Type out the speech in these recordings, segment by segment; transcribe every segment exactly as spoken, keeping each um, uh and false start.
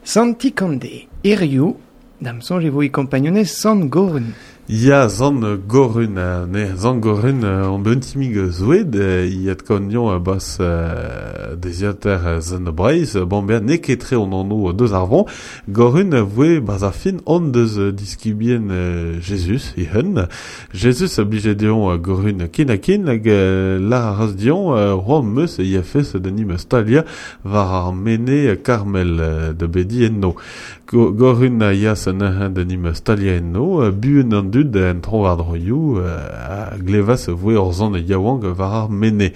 Santi Kande, hiziv, da'm soñj e vo e kompagnunezh Sant Gorun. Ya, Sant Gorun, ne, Sant Gorun, on bet un timig zoued, iat kaonion bas deziater Sant Breizh, bon ben n'eo ket tre on anv deus ar vron, Gorun voe bas ar fin on deus diskibien Jesus, ihun. Jesus a blije deon Gorun kin ha kin, hag lar a ras dion, roan meus ia fes da nim stalia war ar mene Carmel da bedi enno. Gorun a yas neuze da nim stalia enno, buan an dud en tro war droioù a glevas voe ur zant yaouank war ar mene.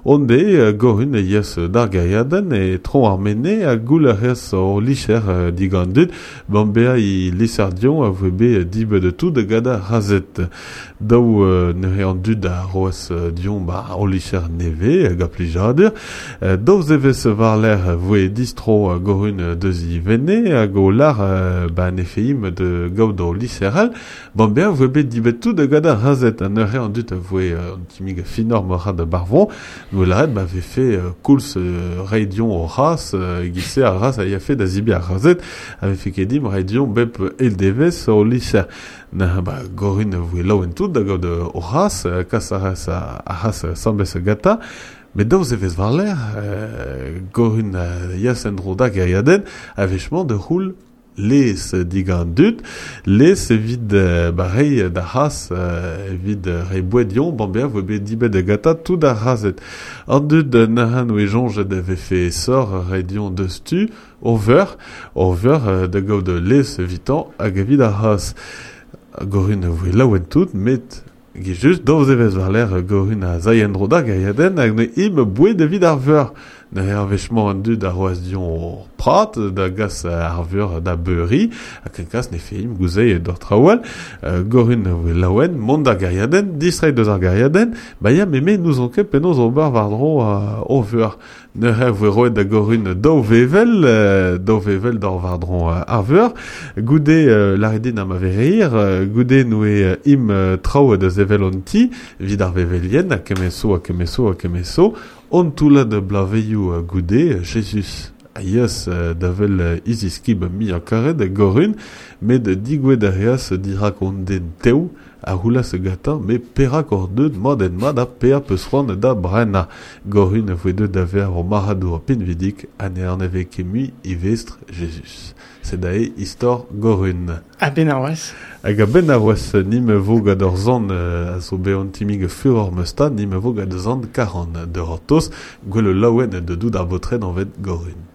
Onde Gorun a yas d'ar gaiadenn e tro ar mene a goul a reas o licher digant dud, ban bea i lisardion a voe be dibet de tout gada razet. Daou neuze an dud a roas dion ba o licher neve hag a plijadur. Daou zevez war l'air voe distro Gorun deus i vene hag o lar ba nefeim de gaout o liseral, ban bea voe bet dibet tout gada razet. An neuze an dud a voe an timig finor mora de barvon, nou laret ba vefe koulz reidion o ras, gise ar ras a ia fe da zibi ar razet, a vefe kedim reidion bep el devez o liser. Na ba Gorun voe laouen tout da gaout o ras, kas a ras a ras sambes gata, met daou zevez war l'air, Gorun yas en dro da gaiadenn, a vechement de roul les digant dud, les evit ba rei da ras, evit rei boedion, ban bea voe bet dibet da gata tout ar razet. An dud nahan oe jonge da vefe sor reidion deus tu, over, over da gaout les evitan hag evit ar ras. Gorun voe laouen tout, met ge just daou zevez war l'air Gorun a zai en dro da gaiadenn hag ne im boued evit ar veur. Neuze ar wechmañ an dud a roas dion prat da gas ar veur da beuri, ha ken kas ne feim gouzei d'ur traoual, Gorun voe laouen, mont da gaiadenn, distrei deus ar gaiadenn, ba ya meme nous on ket penaos ober war-dro o veur. Neuze voe roet da Gorun daou vevel, daou vevel d'or war-dro ar veur, goude laredin am avereir, goude noe im traoù da zevel on ti, vid ar vevelien, ha kemeso, ha kemeso, ha kemeso, on toullad blaveioù goude, Jesus a yas da vel iziskib mi a karet Gorun, met digouet a reas dirak on den tev a roulas gata, me perak or deud mat en mat a pea peus c'hoant da brena. Gorun voe deud da ver o marc'hadour pinvidik ha ne anave ket mui e vestr Jesus. Sed ae istor Gorun. A ben ar oaz. Hag a ben ar oaz nim vo gant ur zant a zo bet an timig furor meus ta, nim vo gant zant karan de hortoz, gwell laouen de dout ar botred anvet Gorun.